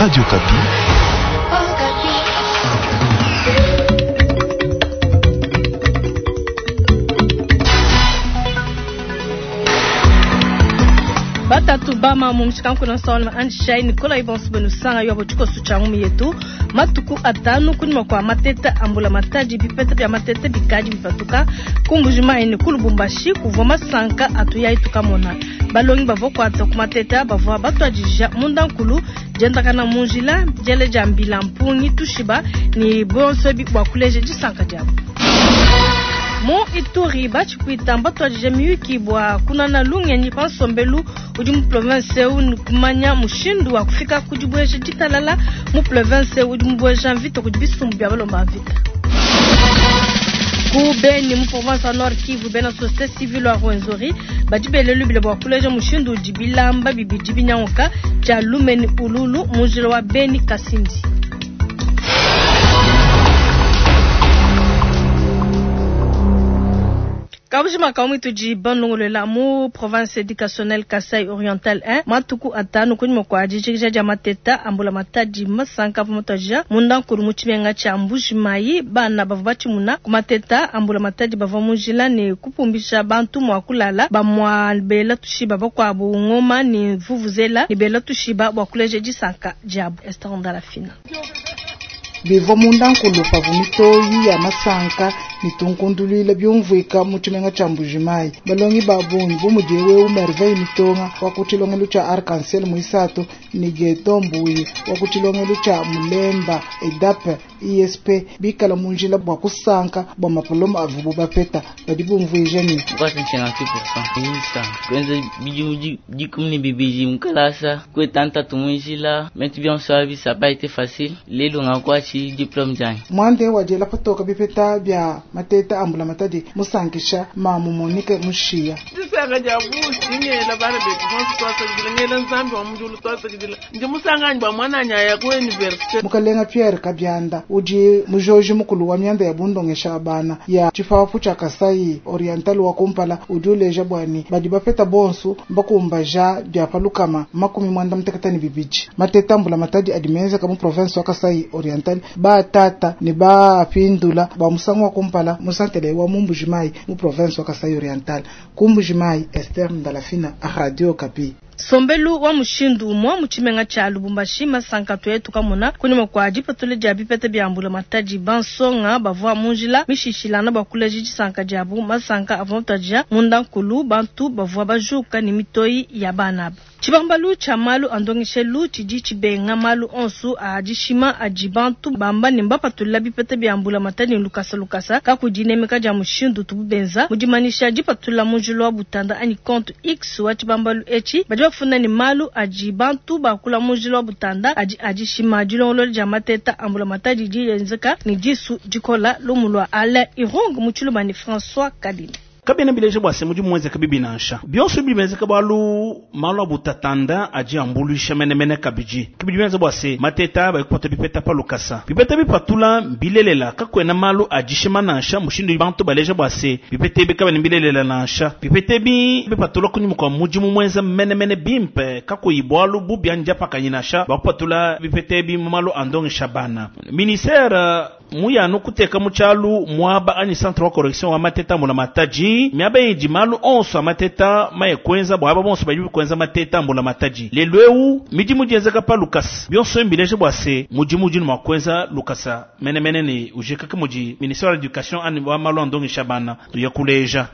Radio Okapi. Batatu bama mu mushikanku na nsonga anjishai Nikolai bonso benu sanga yo tshikoso tshia ngumu yetu matuku atanu kunyima kwa mateta ambula matadi bipeta bia mateta bikadi bipatuka ku Mbuji-Mayi ne ku Lubumbashi kuvua masanka atuyayi tukamona balongi bavua kuata ku mateta bavua batuadija mundankulu diendakana mu njila diele dia mbila mpungi tushiba ne bonso ebi bua kuleja disanka diabu. Mu Ituri batshipwita mbatuadija miyuki bua kunana lungenyi pa nsombelu udi mu province eu ne kumanya mushindu wa kufika ku dibueja ditalala mu province eu udi mubueja mvita kudi bisumbu bia balomba mvita. Ku Beni mu province wa Nord Kivu bena société civile wa Rwenzori badi bele lubila bua kuleja mushindu udi bilamba bibidi binyanguka tshia lume ne ululu mu njila wa Beni Kasindi. Kabujima ka tudi banongolola mu province éducationnelle Kasai Oriental 1 matuku atanu kunyima kua dijikija dia mateta ambula matadi masanka pa mutadija mundankulu mu tshimenga tshia Mbuji-Mayi bana bavua batshimuna ku mateta ambula matadi bavua mu njila ne kupumbisha bantu mua kulala bamua bela tushiba bakuabu ngoma ne vuvuzela ne bela tushiba bua kuleja disanka diabu. Esther Ndalafina. Bivua mundankulu pavua mitoyi ya masanka ne tunkunduluila biumvuika mu tshimenga tshia Mbuji-Mayi. Balongi ba bungi bu mudi wewu Merveille Mitonga wa ku tshilongelu tshia Arc-en-Ciel muisatu ne Geto Mbuyi wa ku tshilongelu tshia Mulemba EDAP ISP bikala mu njila bua kusanka bua mapoloma avubu bapeta badi bumvuija ne 458% kwenza bidimu dikumi ne bibidi mu kalasa kweta ntatu mu njila bintu bionso abi ça pas été facile lelo ngakuatshi diplôme dianyi mwande wadiela patoka bipeta bia mateta ambula matadi musankisha mamu Monique Mushiya disanga dia busi ngela bana betu bonso twasakidila ngela nzambi wa mujulu twasakidila ndi musanganyi bua mwananyi aya ku université mukalenga Pierre Kabianda udi mujoji mukulu wa mianda ya bundongesha bana ya tshipapu tshia Kasai Oriental wa kumpala udi uleja bwani badi bapeta bonso mbakumbaja bia palukama 92 mateta ambula matadi adi menzeka mu province wa Kasai Oriental batata ne bapindula ba musangu wa kumpala musantele wa mu Mbuji-Mayi mu province wa Kasai Oriental ku Mbuji-Mayi. Esther Ndalafina, Radio Okapi. Sombelu wa mushindu umwe mu tshimenga tshia Lubumbashi masanka tuetu kamona kunyima kua dipatula dia bipeta bia mbula matadi bansonga bavua mu njila mishishilana bua kuleja disanka diabu masanka avua mutadija mundankulu bantu bavua bajuka ne mitoyi ya bana aba. Tshibambalu tshia malu a ndongeshelu tshidi tshibenga malu onso a dishima adi bantu bamba ne mbapatula bipeta bia mbula matadi lukasa lukasa kakudinemeka dia mushindu tubu benza mu dimanyisha dipatula mu njila wa butanda anyi compte X wa tshibambalu etshi badi bafunda ne malu adi bantu bakula mu njila wa butanda adi adishima dilongolola dia mateta ambula matadi dienzeka ne disu dikola lumu lua Alain Irung mu tshiluba ne François Kadima. Kabena bileja bua se mudi muenzeka bibi nansha bionso bimenzeka bualu malu a butatanda adi ambuluisha menemene kabidi kibidi bienza bua se mateta bayikupata bipeta pa lukasa bipeta bipatula mbilelela kakuena malu adishima nansha mushindu bantu baleja bua se bipeta ebi kabena mbilelela nansha bipeta ebi bipatula kunyima kua mudimu muenza menemene bimpe kakuyi bualu bubi anyi diapakanyi nansha bakupatula bipeta ebi mu malu a ndongesha bana ministère muyanu kuteka mu tshialu muaba anyi centre wa correction wa mateta mbula matadi miaba idi malu onso a mateta maye kuenza bua aba bonso badi kuenza mateta mbula matadi lelu eu midimu dienzeka pa lukasa bionso mbileje bua se mudimu udi mua kuenza lukasa menemene ne ujikaka mudi ministère wa l'éducation ani wa malu a ndongesha bana tuya kuleja.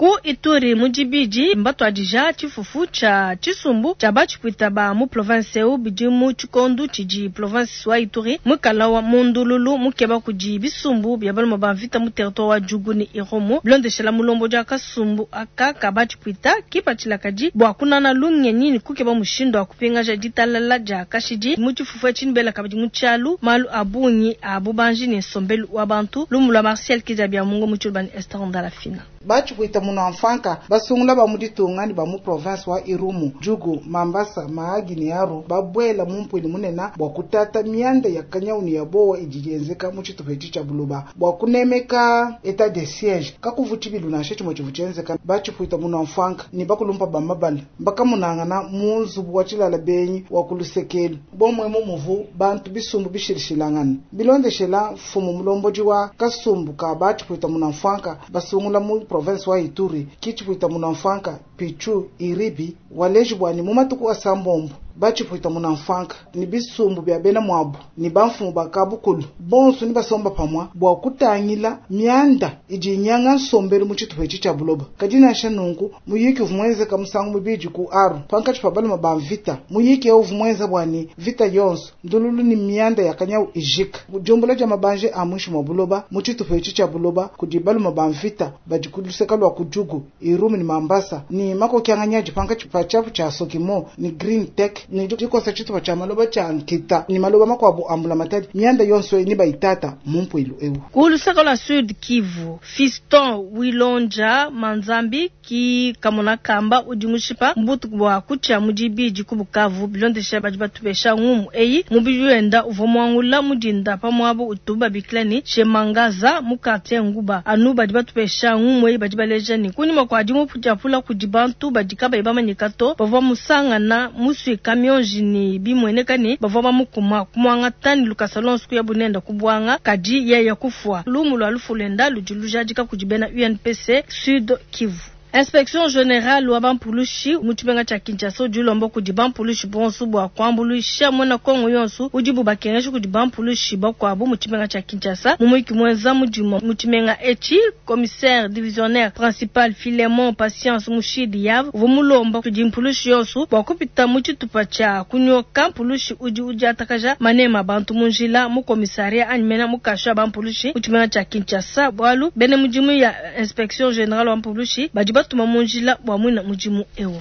Ku Ituri mu dibidi mbatuadija tshifufu tshia tshisumbu tshia batshipwita ba mu province eu bidi mu tshikondu tshidi province wa Ituri muikala wa mundululu mukeba kudi bisumbu bia balume ba mvita mu territoire wa Djugu ne Irumu bilondeshela mulombo dia kasumbu aka ka batshipwita kipatshila kadi bua kunana lungenyi ne kukeba mushindu wa kupingaja ditalala dia kashidi mu tshifufu etshi nibela kabidi mu tshialu malu a bungi a bubanji ne nsombelu wa bantu lumu lua Martial Kidia Bia Mungu mu tshiluba ne Esther Ndalafina. Batshipwita munua-mfwanka basungula ba mu ditunga ne ba mu province wa Irumu, Djugu, Mambasa, Mahagi ne Aru babwela mu mpuilu munene bua kutata mianda ya kanyawu ne ya bowa idi yenzeka mu tshitupa etshi tshia buloba bua kunemeka état de siège kakuvu tshibilu nansha tshimue tshivu tshienzeka. Batshipwita munua-mfwanka ne bakulumpa ba mabala mbakamunangana mu nzubu wa tshilala benyi wa ku lusekelu bomwe mu muvu bantu bisumbu bishilishilangana bilondeshela mfumu mulombodi wa kasumbu ka batshipwita munua-mfwanka basungula mu province wa Ituri kitshipwita munua-mfwanka Pichu Iribi waleji bwani mu matuku asambombo batshipwita munua-mfwanka ni bisumbu bya bena mwabu ni bamfumu ba kabukulu bonso ni basomba pamwa bua kutangila mianda idi inyanga nsombelu mu tshitupa etshi tshia buloba. Kadi nansha nunku muyiki uvua muenzeka musangu mubidi ku Aru pankatshi pa baluma ba mvita muyiki eu uvua muenza bwani vita yonso ndululu ni mianda ya kanyawu ijika diumbula dia mabanje a muinshi mua buloba mu tshitupa etshi tshia buloba kudi baluma ba mvita badi ku luseka lua ku Djugu, Irumu ni Mambasa ni makokianganyi adi pankatshi pa tshiapu tshia Sokimo ni Green Tech ni dikosa tshitupa tshia maloba tshia nkita ni maloba makuabu a mbulamatadi mianda yonso ni bayitata mu mpuilu eu. Ku luseka lua Sud Kivu, Fiston Wilonja Manzambi ki kamona kamba udi mushipa mbutuku bua kutshia mu dibidi ku Bukavu bilondesha badi batupesha ngumu eyi mubidi wenda uvua muangula mudinda pa muaba utu babikila ne Shemangaza mu quartier Nguba. Anu badi batupesha ngumu eyi badi baleja ne kunyima kua dimuputiapula kudi bantu badi kabayi bamanyika to bavua musangana musuika mionji ne bimueneka ne bavua bamukuma kumuangata ne lukasa lonso kuya bunenda kubwanga kadi yeye kufua. Lumu lua lufu luenda ludi lujadika kudi bena UNPC Sud Kivu. Inspection générale wa bampulushi mu tshimenga tshia Kinshasa udi ulomba kudi bampulushi bonso bua kuambuluisha muena Kongo yonso udibu bakengesha kudi bampulushi bakuabu mu tshimenga tshia Kinshasa. Mu muyiki muenza mudimu mu tshimenga etshi, commissaire divisionnaire principal Philemon Patience Mushidi Yav uvua mulomba kudi mpulushi yonso bua kupita mu tshitupa tshia kunyoka mpulushi udi udiatakaja manema bantu mu njila mu commissariat anyi mena mu kasho ya bampulushi mu tshimenga tshia Kinshasa, bualu bena mudimu ya inspection générale wa mpulushi badi batuma mu njila bua muina mudimu eu.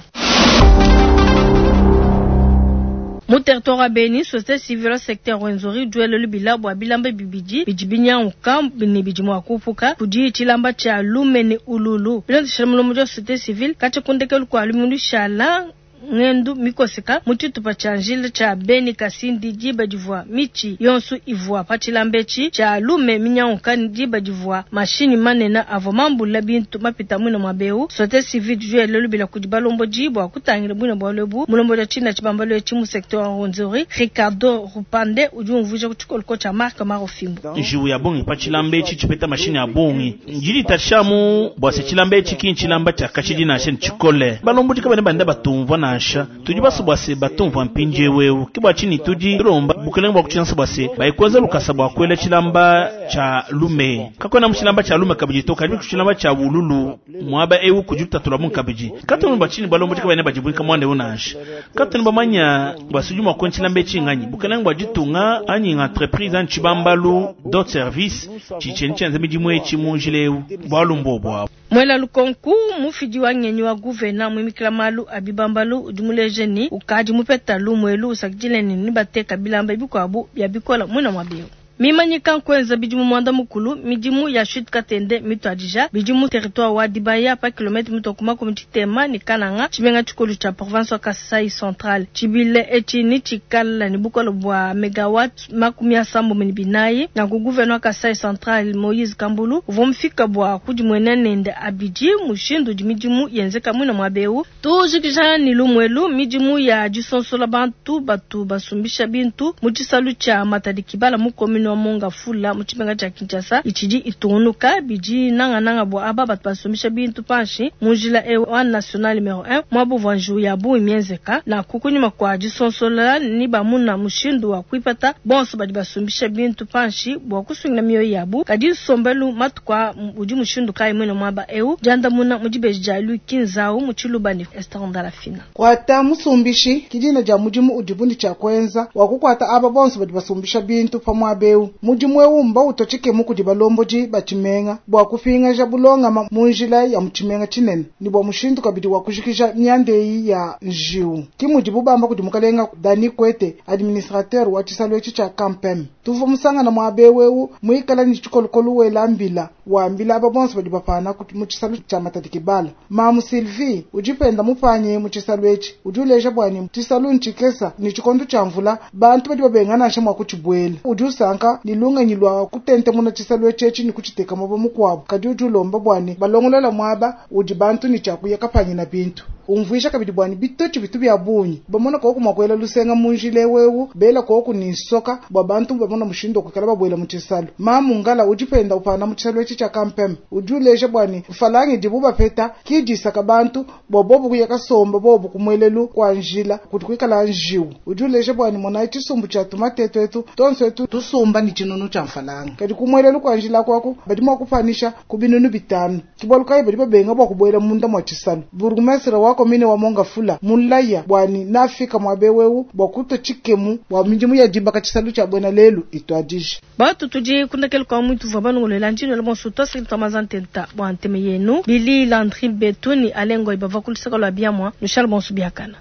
Mu territoire wa Beni, société civile secteur Rwenzori duelo lubila bua bilamba bibidi bidi binyanguka ne bidi mua kupuka kudi tshilamba tshia lume ne ululu. Bilondeshela mulombodi wa société civile katshia ku ndekelu kua lumingu lushala ngendu mikoseka mu tshitupa tshia njila tshia Beni Kasindi diba divua mitshi yonso ivua pa tshilamba etshi tshia lume minyanguka diba divua mashinyi manene avua mambula bintu mapita muina mua beu. Société civile duelo lubila kudi balombodi bua kutangila buina bualu ebu. Mulombodi wa tshina tshibambalo etshi mu secteur wa Rwenzori Ricardo Rupande udi umvuija ku tshikoloko tshia Marc Marofimbo. Njiwu ya bongi pa tshilamba etshi tshipeta mashinyi a bongi njili tashamu bua se tshilamba etshi ki ntshilamba tshia kashidi nansha ntshikole balombodi kabene banda batumvua nansha tudi baso bua se batumvua mpindiewu eu ke bua tshini tudi tulomba bukelenge bua kutshinasa bua se baikwenza lukasa bua kuela tshilamba tshia lume kakwena mu tshilamba tshia lume kabidi to kadi ku tshilamba tshia bululu muaba eu kudi lutatula mu kabidi katunu bua tshini balombodi kabene badibuika muanda eu nansha katunu bamanya bua sudi mua kuela tshilamba etshi nganyi bukelenge bua ditunga anyi entreprise anyi tshibambalu dot service tshitsheni tshienza midimu etshi mu njila eu bualu mbobo abu. Mwela lukonku mufidi wa ngenyi wa guvena muimikila malu a bibambalu udi muleje ni ukadi mupeta lumwelu usakidile ni nibateka bilamba bikuabu bya bikola muina mua beu. Mimanyika nkwenza bidimu mwanda mukulu midimu ya chute Katende mituadija bidimu territoire wa Dibaya pa kilomètre mitokuma ku tshitema ni Kananga tshimenga tshikulu tshia province wa Kasai Central tshibile etshi ni tshikala ni bukolo bua megawatt 34 na ku gouverneur wa Kasai Central Moïse Kambulu uvua mufika bua kudimuena nende abidi mushindu udi midimu yenzeka muina mua beu. Tujikija ni lumwelu midimu ya disonsola bantu batu basumbisha bintu mu tshisalu tshia Matadi Kibala mu commune wa Monga Fula mu tshimenga tshia Kinshasa itshidi itungunuka bidi nangananga bua aba batu basumbisha bintu panshi mu njila e wa national numero 1 mwabu vua njiwu ya bungi mienzeka na kukunyima kua disonsola ni bamuna mushindu wa kuipata bonso badi basumbisha bintu panshi bua kusungila mioyo yabu kadi nsombelu matuku udi mushindu kayi muine muaba eu diandamuna mu dibeji dia Luki Nzau mu Tshiluba ne Esther Ndalafina. Kwata musumbishi kidina dia mudimu udi bundi tshia kuenza wa kukwata aba bonso badi basumbisha bintu pa muaba eu. eu. Mudimu eu mbautua tshikemu kudi balombodi ba tshimenga bua kupingaja bulongama mu njila ya mu tshimenga tshinene ne bua mushindu kabidi wa kujikija mianda eyi ya njiwu. Ke mudibu bamba kudi mukalenga Dani Kwete, administrateur wa tshisalu etshi tshia Campem. Tuvua musangana muaba eu eu muikala ne tshikolokolo wela mbila wambila aba bonso badi bapana mu tshisalu tshia Matadi Kibala. Mamu Sylvie udi penda mupanye mu tshisalu etshi udi uleja bua ne tshisalu ntshikesa ne tshikondo tshia mvula bantu badi babenga nansha mua kutshibuela. Udi usanka ne lungenyi lua kutentemuna tshisalu etshi etshi ne kutshiteka muaba mukuabu, kadi udi ulomba bua ne balongolola muaba udi bantu ne tshiakuya kapanyina bintu. Umvuija kabidi bua ne bitotshi bitu bia bungi bamona koku mua kuela lusenga mu njila ewu bela koku ne nsoka bua bantu bamona mushindu wa kuikala babuela mu tshisalu. Mamu Ngala udi penda upana mu tshisalu etshi tshia Campem udi uleja bua ne mfalangi idibu bapeta kidisaka bantu bua bobu kuya kasomba bobu kumuelelu kwa njila kudi kuikala njiwu. Udi uleja bua ne monayi tshisumbu tshia tumatetu etu tonso etu tusumba ne tshinunu tshia mfalanga, kadi kumuelelu kwa njila kwaku badi mua kupanisha ku binunu bitanu. Kibalu kayi badi babenga bua kubuela munda mua tshisalu. Bourgmestre wa commune wa Mongafula mulaya bua ne nafika muaba ewu bua kutua tshikemu bua midimu ya dibaka tshisalu tshia buena lelu ituadije. Batu tudi kundakela kwa mwitu vua banongolela njino la bonso twasaki twamazantenta bua nteme yenu Billy Landry Betuni Alengo ibava kulusaka lwa biamwa Michel Bonso biakana.